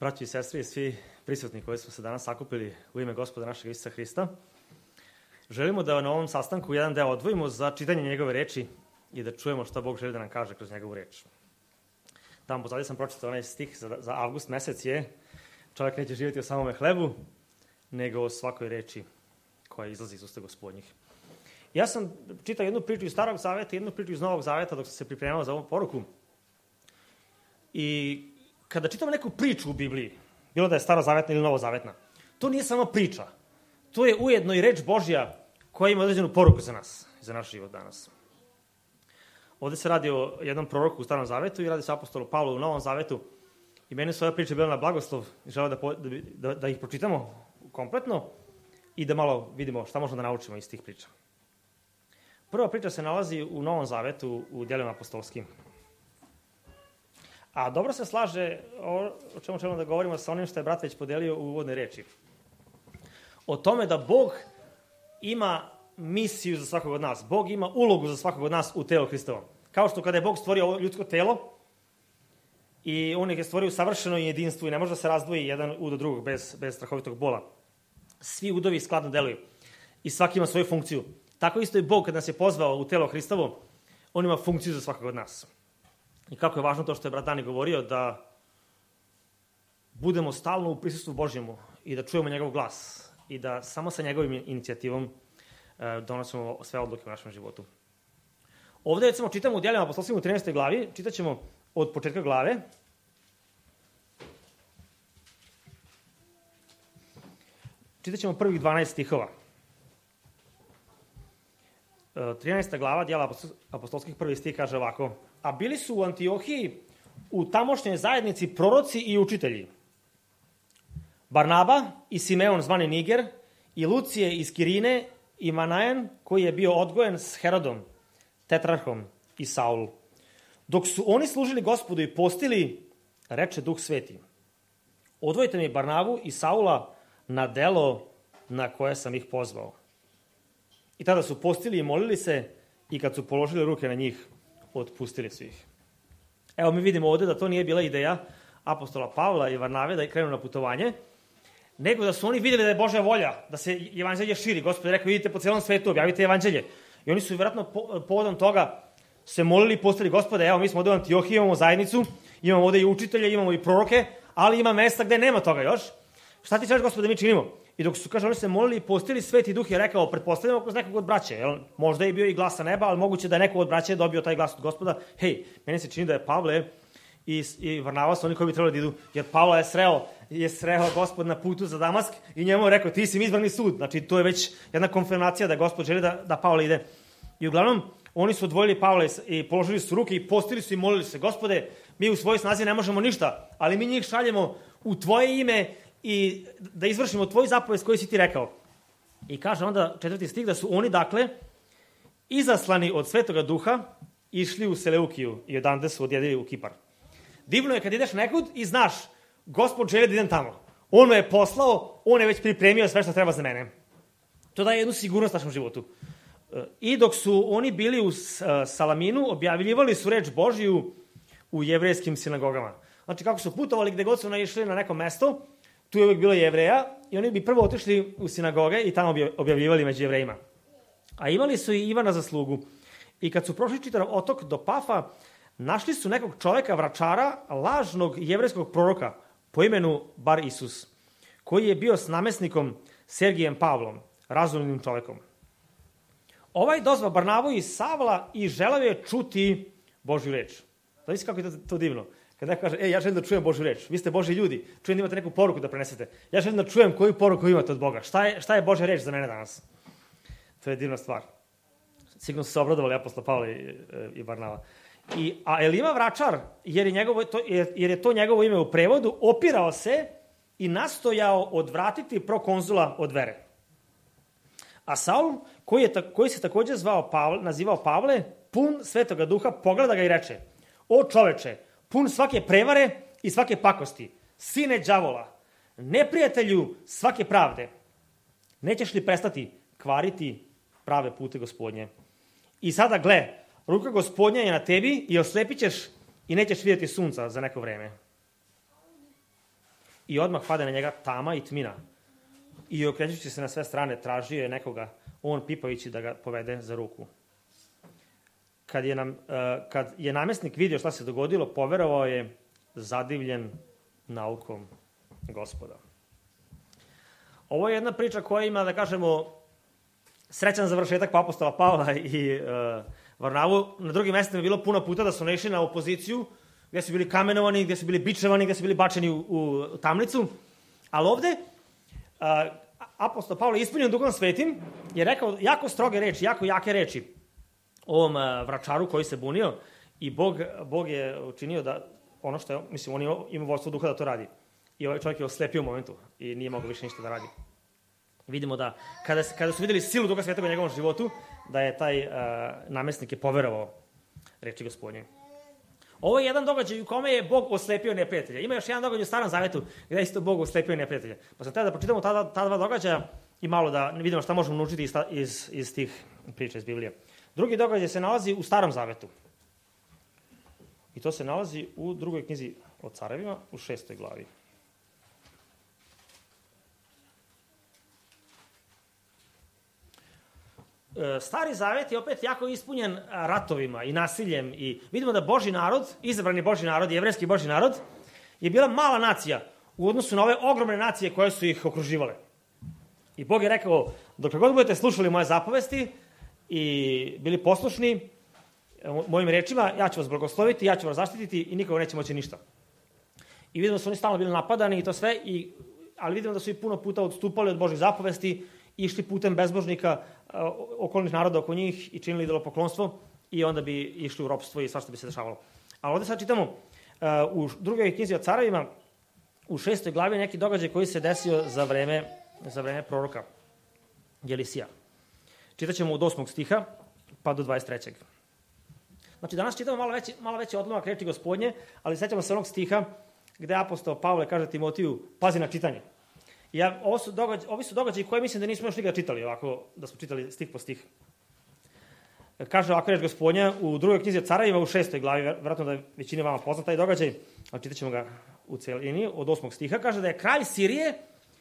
Braći i sestri i svi prisutni koji smo se danas sakupili u ime Gospoda našeg Isusa Hrista, želimo da na ovom sastanku jedan deo odvojimo za čitanje njegove reči i da čujemo šta Bog želi da nam kaže kroz njegovu reč. Tamo pozadnje sam pročitao onaj stih za avgust mesec je: čovjek neće živjeti o samome hlebu, nego o svakoj reči koja izlazi iz usta Gospodnjih. Ja sam čitao jednu priču iz Starog zaveta i jednu priču iz Novog zaveta dok sam se pripremao za ovu poruku. I kada čitamo neku priču u Bibliji, bilo da je starozavetna ili novozavetna, to nije samo priča. To je ujedno i reč Božja koja ima određenu poruku za nas, za naš život danas. Ovdje se radi o jednom proroku u Starom zavetu i radi se o apostolu Pavlu u Novom zavetu. I meni su ove priče bile na blagoslov i želeo da ih pročitamo kompletno i da malo vidimo šta možemo da naučimo iz tih priča. Prva priča se nalazi u Novom zavetu u djelima apostolskim. A dobro se slaže o čemu ćemo da govorimo sa onim što je brat već podelio u uvodnoj reči. O tome da Bog ima misiju za svakog od nas. Bog ima ulogu za svakog od nas u telu Hristovom. Kao što kada je Bog stvorio ovo ljudsko telo i on je stvorio u savršenom jedinstvu i ne može da se razdvoji jedan ud od drugog bez strahovitog bola. Svi udovi skladno deluju i svaki ima svoju funkciju. Tako isto i Bog kad nas je pozvao u telo Hristovo, on ima funkciju za svakog od nas. I kako je važno to što je brat Dani govorio, da budemo stalno u prisustvu Božjemu i da čujemo njegov glas i da samo sa njegovim inicijativom donosimo sve odluke u našem životu. Ovdje recimo čitamo u djelima apostolskim u 13. glavi, čitat ćemo od početka glave. Čitat ćemo prvih 12 stihova. 13. glava djela apostolskih prvi stih kaže ovako: a bili su u Antiohiji u tamošnjoj zajednici proroci i učitelji. Barnaba i Simeon zvani Niger i Lucije iz Kirine i Manaen koji je bio odgojen s Herodom, tetrarhom i Saul. Dok su oni služili Gospodu i postili, reče Duh Sveti: odvojite mi Barnabu i Saula na delo na koje sam ih pozvao. I tada su postili i molili se i kad su položili ruke na njih, otpustili su ih. Evo mi vidimo ovdje da to nije bila ideja apostola Pavla i Varnave da krenu na putovanje, nego da su oni vidjeli da je Božja volja, da se evanđelje širi. Gospod je rekao: idite po cijelom svetu, objavite evanđelje. I oni su vjerojatno povodom toga se molili i postali: Gospode, evo mi smo ovdje u Antiohiji, imamo zajednicu, imamo ovdje i učitelje, imamo i proroke, ali ima mesta gdje nema toga još. Šta ti ćeš, Gospode, mi činimo? I dok su, kaže, oni se molili i postili, Sveti Duh je rekao, pretpostavljamo kroz nekog od braće, jel? Možda je bio i glas sa neba, ali moguće da je neko od braće dobio taj glas od Gospoda. Hej, meni se čini da je Pavle i Varnava su oni koji bi trebali da idu, jer Pavla je sreo Gospod na putu za Damask i njemu je rekao: ti si mi izbrani sud. Znači, to je već jedna konfirmacija da Gospod želi da Pavle ide. I uglavnom, oni su odvojili Pavla i položili su ruke i postili su i molili se: Gospode, mi u svojoj snazi ne možemo ništa, ali mi njih šaljemo u tvoje ime i da izvršimo tvoju zapovest koju si ti rekao. I kaže onda 4. stih da su oni, dakle, izaslani od Svetoga Duha, išli u Seleukiju i odande su odjedili u Kipar. Divno je kad ideš nekud i znaš: Gospod želi da idem tamo. On me je poslao, on je već pripremio sve što treba za mene. To daje jednu sigurnost našem životu. I dok su oni bili u Salaminu, objavljivali su reč Božiju u jevrejskim sinagogama. Znači, kako su putovali, gde god su naišli na neko mesto, tu je uvijek bilo Jevreja i oni bi prvo otišli u sinagoge i tamo bi objavljivali među Jevrejima. A imali su i Ivana za slugu. I kad su prošli čitav otok do Pafa, našli su nekog čovjeka, vračara, lažnog jevrejskog proroka po imenu Bar Isus, koji je bio s namesnikom Sergijem Pavlom, razumnim čovjekom. Ovaj dozva Barnabu i Savla i želeo je čuti Božju reč. Znači kako je to divno. Kad neko kaže: ja želim da čujem Božju reč, vi ste Božji ljudi, čujem da imate neku poruku da prenesete. Ja želim da čujem koju poruku imate od Boga. Šta je Božja reč za mene danas? To je divna stvar. Sigurno su se obradovali apostol Pavle i Barnava. A Elima vračar, jer je to njegovo ime u prevodu, opirao se i nastojao odvratiti prokonzula od vere. A Saul, koji se također nazivao Pavle, pun Svetoga Duha, pogleda ga i reče: o čoveče, pun svake prevare i svake pakosti, sine đavola, neprijatelju svake pravde, nećeš li prestati kvariti prave pute Gospodnje? I sada gle, ruka Gospodnja je na tebi i oslepit ćeš i nećeš vidjeti sunca za neko vreme. i odmah pade na njega tama i tmina. I okrećući se na sve strane, tražio je nekoga, on pipajući da ga povede za ruku. Kad je namestnik vidio šta se dogodilo, poverovao je zadivljen naukom Gospoda. Ovo je jedna priča koja ima, da kažemo, srećan završetak po apostola Pavla i Varnavu. Na drugim mestima je bilo puno puta da su naišli na opoziciju, gde su bili kamenovani, gde su bili bičevani, gde su bili bačeni u tamnicu. Ali ovde apostol Pavle, ispunjen Duhom Svetim, je rekao jako stroge reči, jako jake reči ovom vračaru koji se bunio i Bog je učinio da ono što je, mislim, on ima vodstvo duha da to radi. I ovaj čovjek je oslepio u momentu i nije mogao više ništa da radi. Vidimo da kada su videli silu Duha Svetog u njegovom životu, da je taj namestnik je poverovao reči Gospodnje. Ovo je jedan događaj u kome je Bog oslepio neprijatelja. Ima još jedan događaj u Starom Zavetu gdje je isto Bog oslepio neprijatelja. Pa sam tada da pročitamo ta dva događaja i malo da vidimo šta možemo naučiti iz tih priča iz Biblije. Drugi događaj se nalazi u Starom Zavetu. I to se nalazi u drugoj knjizi o carevima, u 6. glavi. Stari Zavet je opet jako ispunjen ratovima i nasiljem i vidimo da Božji narod, izabrani Božji narod, jevrejski Božji narod, je bila mala nacija u odnosu na ove ogromne nacije koje su ih okruživale. I Bog je rekao, dok god budete slušali moje zapovesti i bili poslušni mojim rečima, ja ću vas blagosloviti, ja ću vas zaštititi i nikoga neće moći ništa. I vidimo da su oni stalno bili napadani i to sve, ali vidimo da su i puno puta odstupali od Božjih zapovesti, išli putem bezbožnika, okolnih naroda oko njih i činili idolopoklonstvo i onda bi išli u ropstvo i svašta bi se dešavalo. Ali ovdje sad čitamo u drugoj knjizi o carevima, u 6. glavi neki događaj koji se desio za vreme proroka Jelisija. Čitat ćemo od 8. stiha pa do 23. Znači danas čitamo malo veći odlomak reči Gospodnje, ali sećamo se onog stiha gde apostol Pavle kaže Timotiju, pazi na čitanje. Ovi su događaji koje mislim da nismo još nikada čitali, ovako da smo čitali stih po stih. Kaže ovako reč Gospodnja u drugoj knjizi o carevima u 6. glavi, vjerojatno da je većini vama poznat taj događaj, ali čitat ćemo ga u celini, od 8. stiha, kaže da je kralj Sirije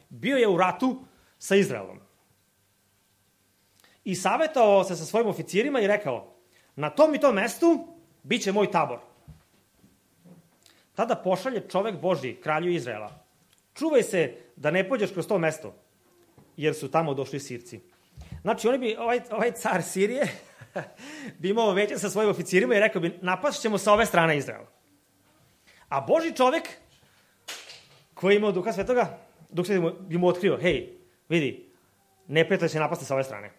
bio je u ratu sa Izraelom. I savjetovao se sa svojim oficirima i rekao, na tom i tom mestu bit će moj tabor. Tada pošalje čovek Božji, kralju Izraela. Čuvaj se da ne pođeš kroz to mesto, jer su tamo došli Sirci. Znači, ovaj car Sirije bi imao veće sa svojim oficirima i rekao bi, napast ćemo sa ove strane Izraela. A Božji čovek, koji je imao Duha Svetoga, Duh Sveti bi mu otkrio, hej, vidi, neprijatelj će napasti sa ove strane.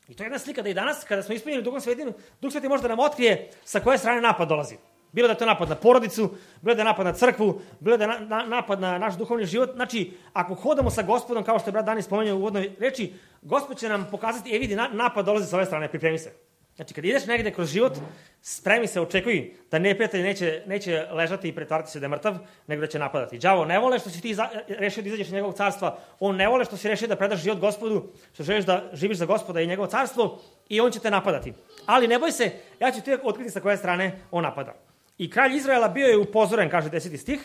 I to je jedna slika da i danas, kada smo ispunjeni Duhom Svetim, Duh Sveti može da nam otkrije sa koje strane napad dolazi. Bilo da je to napad na porodicu, bilo da je napad na crkvu, bilo da je napad na naš duhovni život. Znači, ako hodamo sa Gospodom, kao što je brat Dani spomenuo u uvodnoj reči, Gospod će nam pokazati, vidi, napad dolazi sa ove strane, pripremi se. Znači, kad ideš negde kroz život, spremi se, očekuj da neprijatelj neće ležati i pretvarati se da je mrtav, nego da će napadati. Đavo ne vole što si ti rešio da izađeš iz njegovog carstva, on ne vole što si rešio da predaš život Gospodu, što želiš da živiš za Gospoda i njegovo carstvo i on će te napadati. Ali ne boj se, ja ću ti otkriti sa koje strane on napada. I kralj Izraela bio je upozoren, kaže 10. stih,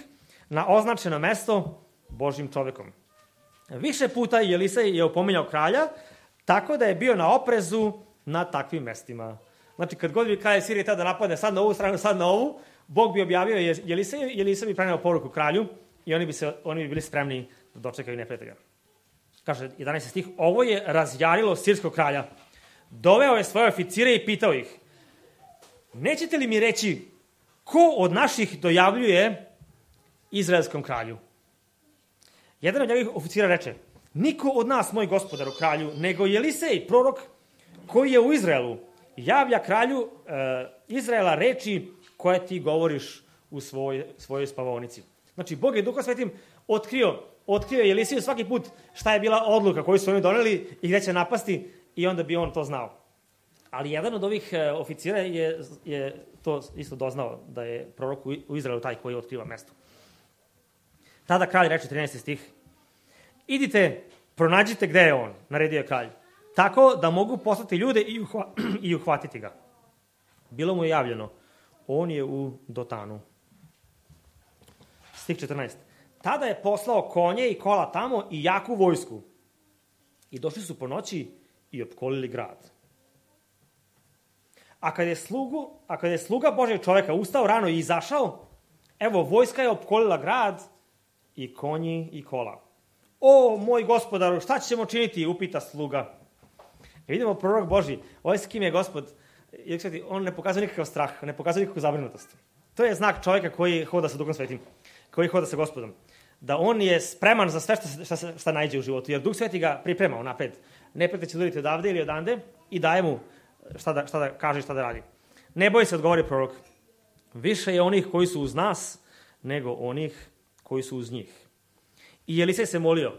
na označeno mesto Božjim čovekom. Više puta Jelisej je opominjao kralja, tako da je bio na oprezu na takvim mestima. Znači, kad god bi kralj Sirije tada napadne sad na ovu stranu, sad na ovu, Bog bi objavio Jeliseju, Jelisej bi preneo poruku kralju i oni bi bili spremni da dočekaju neprijatelja. Kaže 11. stih, ovo je razjarilo sirskog kralja. Doveo je svoje oficire i pitao ih, nećete li mi reći ko od naših dojavljuje izraelskom kralju? Jedan od njegovih oficira reče, niko od nas, moj gospodaru kralju, nego Jelisej, prorok, koji je u Izraelu, javlja kralju Izraela reči koje ti govoriš u svojoj spavaonici. Znači, Bog je Duhom Svetim otkrio Jelisiju svaki put šta je bila odluka koju su oni doneli i gde će napasti i onda bi on to znao. Ali jedan od ovih oficira je to isto doznao, da je prorok u Izraelu taj koji otkriva mesto. Tada kralj reče, 13. stih, idite, pronađite gde je on, naredio je kralj, tako da mogu poslati ljude i uhvatiti ga. Bilo mu je javljeno, on je u Dotanu. Stih 14. Tada je poslao konje i kola tamo i jaku vojsku. I došli su po noći i opkolili grad. A kad je sluga Božjeg čoveka ustao rano i izašao, evo, vojska je opkolila grad i konji i kola. O, moj gospodaru, šta ćemo činiti, upita sluga. I vidimo prorok Božji, ovaj s kim je gospod, on ne pokazuje nikakav strah, ne pokazuje nikakvu zabrinutost. To je znak čovjeka koji hoda sa Duhom Svetim, koji hoda sa Gospodom. Da on je spreman za sve šta najde u životu, jer Duh Sveti ga priprema unapred. Neprijatelj će udariti odavde ili odande i daje mu šta da kaže i šta da radi. Ne boj se, odgovori prorok. Više je onih koji su uz nas, nego onih koji su uz njih. I Elisej se molio,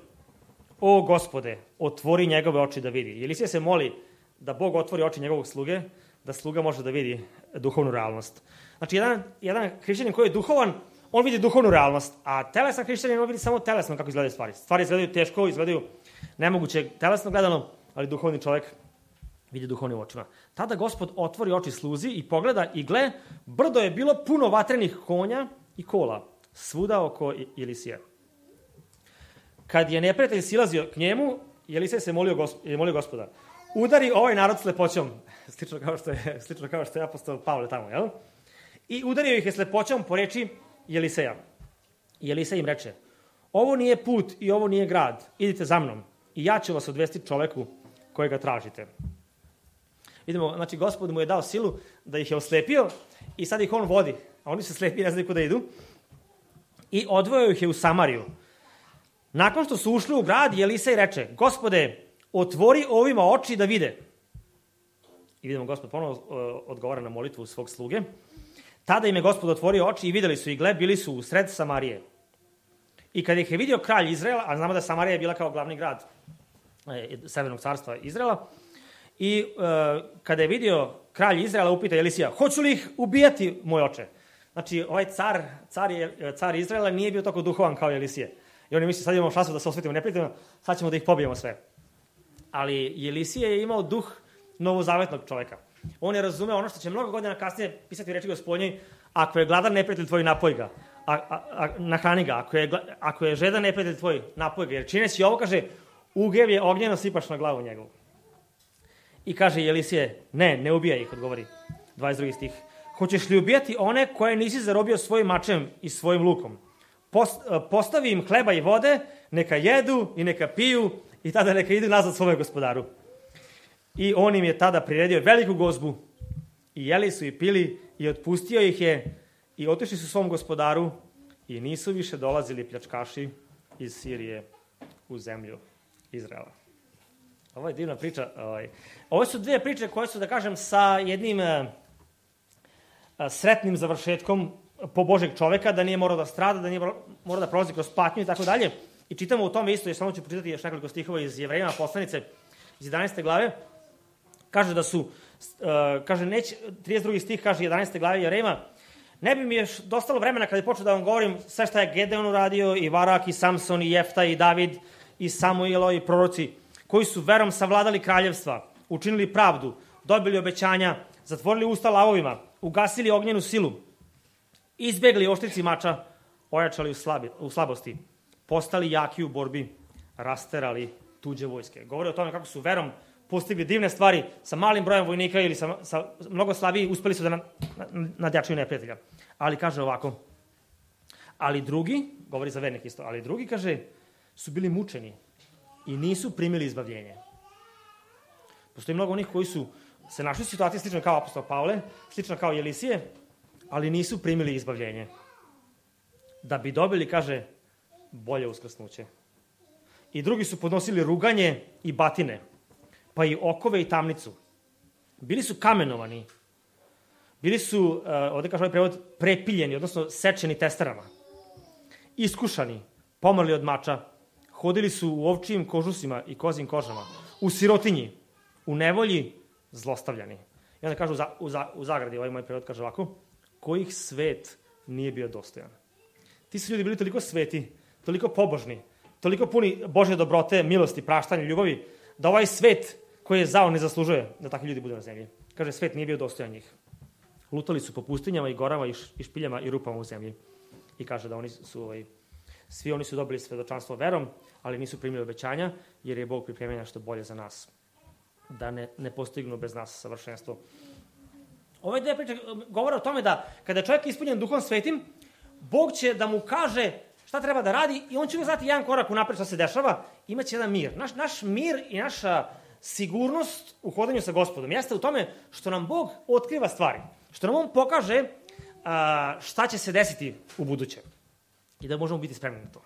o Gospode, otvori njegove oči da vidi. Elisej se moli da Bog otvori oči njegovog sluge, da sluga može da vidi duhovnu realnost. Znači, jedan hrišćanin koji je duhovan, on vidi duhovnu realnost, a telesan hrišćanin, on vidi samo telesno kako izgledaju stvari. Stvari izgledaju teško, izgledaju nemoguće telesno gledano, ali duhovni čovjek vidi duhovnim očima. Tada Gospod otvori oči sluzi i pogleda i gle, brdo je bilo puno vatrenih konja i kola, svuda oko Elisija. Kad je neprijatelj silazio k njemu, Elisej se molio Gospoda, udari ovaj narod slepoćom, slično kao što je apostol Pavle tamo, jel? I udario ih je slepoćom po reči Eliseja. I Elisej im reče, ovo nije put i ovo nije grad, idite za mnom i ja ću vas odvesti čoveku kojega tražite. Vidimo, znači, Gospod mu je dao silu da ih je oslepio i sad ih on vodi, a oni su slepi, ne znaju kuda idu, i odvojio ih je u Samariju. Nakon što su ušli u grad, Elisej reče, Gospode, otvori ovima oči da vide. I vidimo, Gospod ponovo odgovara na molitvu svog sluge. Tada im je Gospod otvorio oči i videli su i gle, bili su u sred Samarije. I kad ih je vidio kralj Izraela, a znamo da Samarija je bila kao glavni grad Severnog carstva Izraela, i kada je vidio kralj Izraela, upita Elisija, hoću li ih ubijati, moj oče? Znači, ovaj car Izraela nije bio toliko duhovan kao Elisije. I oni misli, sad imamo šansu da se osvetimo neprijateljima, sad ćemo da ih pobijemo sve. Ali Elisije je imao duh novozavetnog čoveka. On je razumeo ono što će mnogo godina kasnije pisati u reči Gospodnjoj, ako je gladan neprijatelj tvoj, napoj ga, nahrani ga, ako je žedan neprijatelj tvoj, napoj ga, jer čineći ovo, kaže, ugev je ognjeno sipaš na glavu njegovu. I kaže Elisije, ne ubijaj ih, odgovori 22. stih. Hoćeš li ubijati one koje nisi zarobio svojim mačem i svojim lukom? Postavi im hleba i vode, neka jedu i neka piju i tada neka idu nazad svome gospodaru. I on im je tada priredio veliku gozbu i jeli su i pili i otpustio ih je i otišli su svom gospodaru i nisu više dolazili pljačkaši iz Sirije u zemlju Izraela. Ovo je divna priča. Ovo su dvije priče koje su, da kažem, sa jednim sretnim završetkom po Božeg čoveka, da nije morao da strada, da nije morao da prolazi kroz patnju i tako dalje. I čitamo u tome isto, jer samo ću pročitati još nekoliko stihova iz Jevrejima poslanice iz 11. glave. Kaže da su, 32. stih kaže 11. glave Jevrejima, ne bi mi još dostalo vremena kada je počeo da vam govorim sve šta je Gedeon uradio, i Varak, i Samson, i Jefta, i David, i Samuilo, i proroci, koji su verom savladali kraljevstva, učinili pravdu, dobili obećanja, zatvorili usta lavovima, ugasili ognjenu silu, izbjegli oštrici mača, ojačali u slabosti, postali jaki u borbi, rasterali tuđe vojske. Govori o tome kako su verom postigli divne stvari sa malim brojem vojnika ili sa mnogo slabiji, uspeli su da nadjačaju neprijatelja. Ali kaže ovako, ali drugi, govori za vernik isto, ali drugi, kaže, su bili mučeni i nisu primili izbavljenje. Postoji mnogo onih koji su se našli u situaciji slično kao apostol Pavle, slično kao Elisije, ali nisu primili izbavljenje. Da bi dobili, kaže, bolje uskrsnuće. I drugi su podnosili ruganje i batine, pa i okove i tamnicu. Bili su kamenovani, bili su, ovdje kaže ovaj prevod, prepiljeni, odnosno sečeni testerama, iskušani, pomrli od mača, hodili su u ovčijim kožusima i kozim kožama, u sirotinji, u nevolji, zlostavljani. I onda kažu u zagradi, ovaj moj prevod kaže ovako, kojih svet nije bio dostojan. Ti su ljudi bili toliko sveti, toliko pobožni, toliko puni Božje dobrote, milosti, praštanja, ljubavi, da ovaj svet koji je zao ne zaslužuje da takvi ljudi budu na zemlji. Kaže, svet nije bio dostojan njih. Lutali su po pustinjama i gorama i špiljama i rupama u zemlji. I kaže da oni su Svi oni su dobili svedočanstvo verom, ali nisu primili obećanja, jer je Bog pripremio nešto bolje za nas, da ne postignu bez nas savršenstvo. Ove dve priče govore o tome da kada je čovjek ispunjen Duhom Svetim, Bog će da mu kaže šta treba da radi i on će uvijek znati jedan korak unapred šta se dešava, imaće jedan mir. Naš mir i naša sigurnost u hodanju sa Gospodom jeste u tome što nam Bog otkriva stvari, što nam on pokaže šta će se desiti u buduće i da možemo biti spremni na to.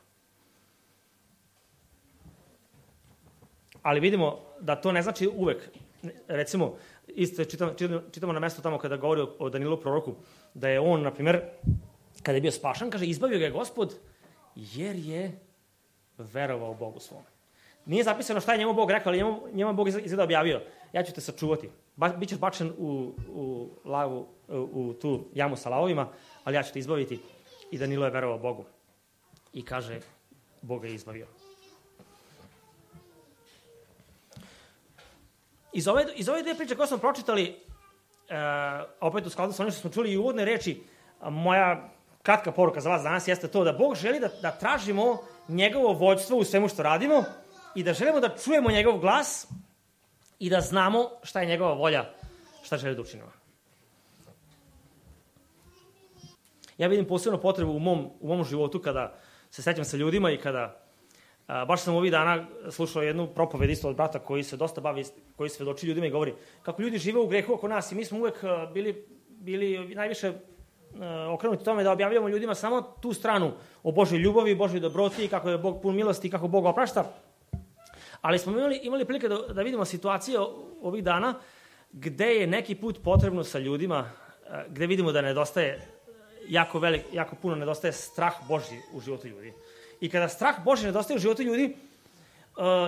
Ali vidimo da to ne znači uvek. Recimo, isto čitamo na mesto tamo kada govori o Danilu proroku, da je on, na primjer, kada je bio spašan, kaže, izbavio ga je Gospod jer je verovao Bogu svom. Nije zapisano šta je njemu Bog rekao, ali njemu Bog izgleda objavio. Ja ću te sačuvati. Bićeš bačen u lavu, u tu jamu sa lavovima, ali ja ću te izbaviti. I Danilo je verovao Bogu. I kaže, Bog je izbavio. Iz ove dve priče koje smo pročitali, opet u skladu sa onim što smo čuli i uvodne reči, moja kratka poruka za vas danas jeste to da Bog želi da tražimo njegovo vođstvo u svemu što radimo i da želimo da čujemo njegov glas i da znamo šta je njegova volja, šta želi da učinimo. Ja vidim posebno potrebu u mom životu kada se sećam sa ljudima i kada baš sam ovih dana slušao jednu propoved isto od brata koji se dosta bavi, koji svedoči ljudima i govori kako ljudi žive u grehu oko nas i mi smo uvek bili najviše okrenuti tome da objavljamo ljudima samo tu stranu o Božoj ljubavi, Božoj dobroti, kako je Bog pun milosti, kako Bog oprašta. Ali smo imali prilike da vidimo situacije ovih dana gde je neki put potrebno sa ljudima, gde vidimo da nedostaje jako puno nedostaje strah Božji u životu ljudi. I kada strah Božji nedostaje u životu ljudi,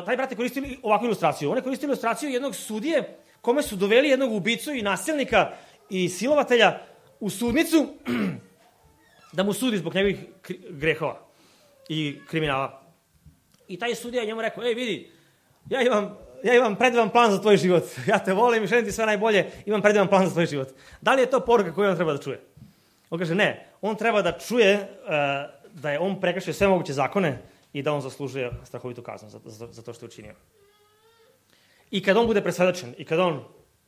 taj brat je koristio ovakvu ilustraciju. On je koristio ilustraciju jednog sudije kome su doveli jednog ubicu i nasilnika i silovatelja u sudnicu da mu sudi zbog njegovih grehova i kriminala. I taj sudija je njemu rekao, vidi, ja imam predivan plan za tvoj život. Ja te volim i želim ti sve najbolje, imam predivan plan za tvoj život. Da li je to poruka koju on treba da čuje? On kaže, ne, on treba da čuje da je on prekršio sve moguće zakone i da on zaslužuje strahovitu kaznu za to što je učinio. I kad on bude presvedočen, i kad on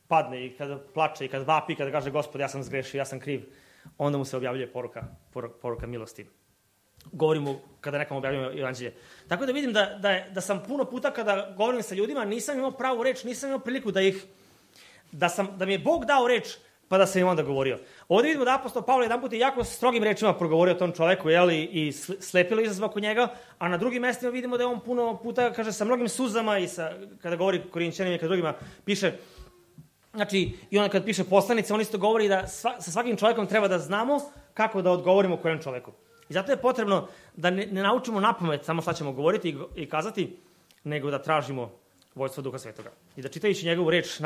padne, i kad plače, i kad vapi, i kad kaže, Gospod, ja sam zgrešio, ja sam kriv, onda mu se objavljuje poruka milosti. Govorimo kada nekom objavljujemo evanđelje. Tako da vidim da sam puno puta kada govorim sa ljudima, nisam imao pravu reč, nisam imao priliku da mi je Bog dao reč, pa da sam im onda govorio. Ovdje vidimo da apostol Pavle jedan put je jako strogim rečima progovorio tom čoveku, i slepilo izazva oko njega, a na drugim mestima vidimo da je on puno puta, kaže, sa mnogim suzama i kada govori Korinćanima i kada drugima piše, znači, i onda kad piše poslanice, on isto govori da sa svakim čovekom treba da znamo kako da odgovorimo kojem čoveku. I zato je potrebno da ne naučimo napamet samo šta ćemo govoriti i kazati, nego da tražimo vođstvo Duha Svetoga. I da čitajući njegovu reč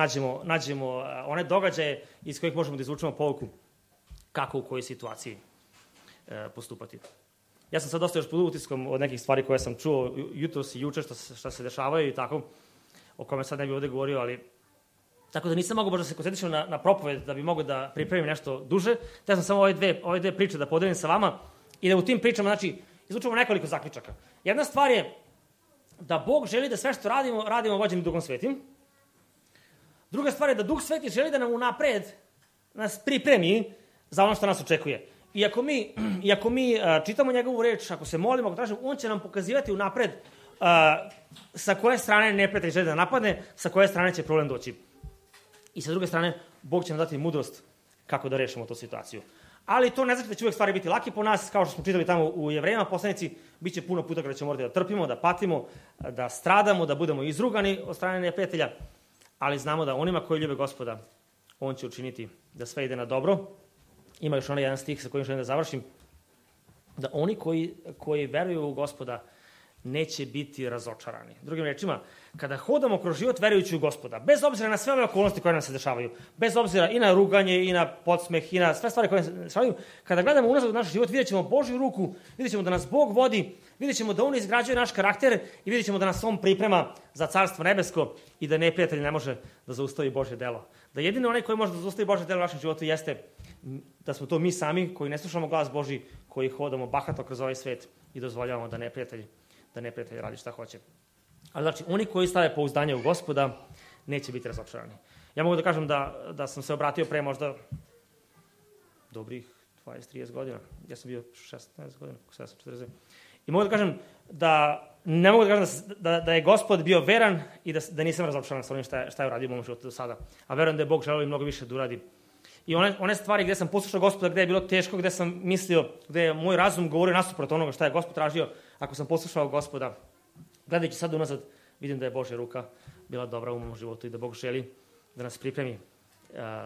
nađemo one događaje iz kojih možemo da izvučemo pouku kako u kojoj situaciji postupati. Ja sam sad dosta još pod utiskom od nekih stvari koje sam čuo jutros i juče šta se dešavaju i tako, o kome sad ne bih ovde govorio, ali tako da nisam mogao baš da se koncentrišem na propoved da bi mogao da pripremim nešto duže. Te sam samo ove dve priče da podelim sa vama i da u tim pričama, znači, izvučemo nekoliko zaključaka. Jedna stvar je da Bog želi da sve što radimo vođeni Duhom Svetim. Druga stvar je da Duh Sveti želi da nam unapred nas pripremi za ono što nas očekuje. I ako mi čitamo njegovu reč, ako se molimo, ako tražimo, on će nam pokazivati unapred sa koje strane neprijatelj želi da napadne, sa koje strane će problem doći. I sa druge strane, Bog će nam dati mudrost kako da rešimo tu situaciju. Ali to ne znači da će uvek stvari biti laki po nas, kao što smo čitali tamo u Jevrejima poslanici, bit će puno puta kada ćemo morati da trpimo, da patimo, da stradamo, da budemo izrugani od strane neprijatelja, ali znamo da onima koji ljube Gospoda, on će učiniti da sve ide na dobro. Ima još onaj jedan stih sa kojim želim da završim, da oni koji veruju u Gospoda neće biti razočarani. Drugim rečima, kada hodamo kroz život verujući u Gospoda, bez obzira na sve ove okolnosti koje nam se dešavaju, bez obzira i na ruganje, i na podsmeh, i na sve stvari koje se dešavaju, kada gledamo unazad u naš život, vidjet ćemo Božju ruku, vidjet ćemo da nas Bog vodi, vidjet ćemo da On izgrađuje naš karakter i vidjet ćemo da nas On priprema za carstvo nebesko i da neprijatelj ne može da zaustavi Božje delo. Da jedino onaj koji može da zaustavi Božje delo u našem životu jeste da smo to mi sami koji ne slušamo glas Božji, koji hodamo bahato kroz ovaj svet i dozvoljavamo da neprijatelj radi šta hoće. Ali znači, oni koji stave pouzdanje u Gospoda neće biti razočarani. Ja mogu da kažem da sam se obratio pre možda dobrih 20-30 godina. Ja sam bio 16 godina, 40. I mogu da kažem ne mogu da kažem da je Gospod bio veran i da nisam razočaran sa onim šta je uradio u mom životu do sada. A verujem da je Bog želeo i mnogo više da uradi. I one stvari gde sam poslušao Gospoda, gde je bilo teško, gde sam mislio, gde je moj razum govorio nasuprot onoga šta je Gospod tražio, ako sam poslušao Gospoda, gledajući sad unazad, vidim da je Božja ruka bila dobra u mom životu i da Bog želi da nas pripremi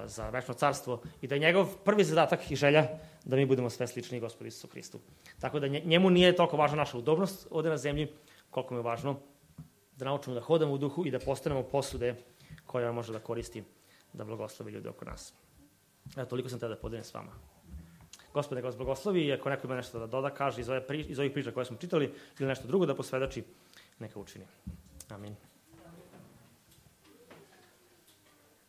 za večno carstvo i da je njegov prvi zadatak i želja da mi budemo sve slični Gospodu Isusu Hristu. Tako da njemu nije toliko važna naša udobnost ovde na zemlji, koliko mi je važno da naučimo da hodamo u duhu i da postanemo posude koja može da koristi da blagoslovi ljudi oko nas. Evo, toliko sam tada da podelim s vama. Gospod neka vas blagoslovi i ako neko ima nešto da doda, kaže iz ovih priča koje smo čitali ili nešto drugo da posvedoči, neka učini. Amin.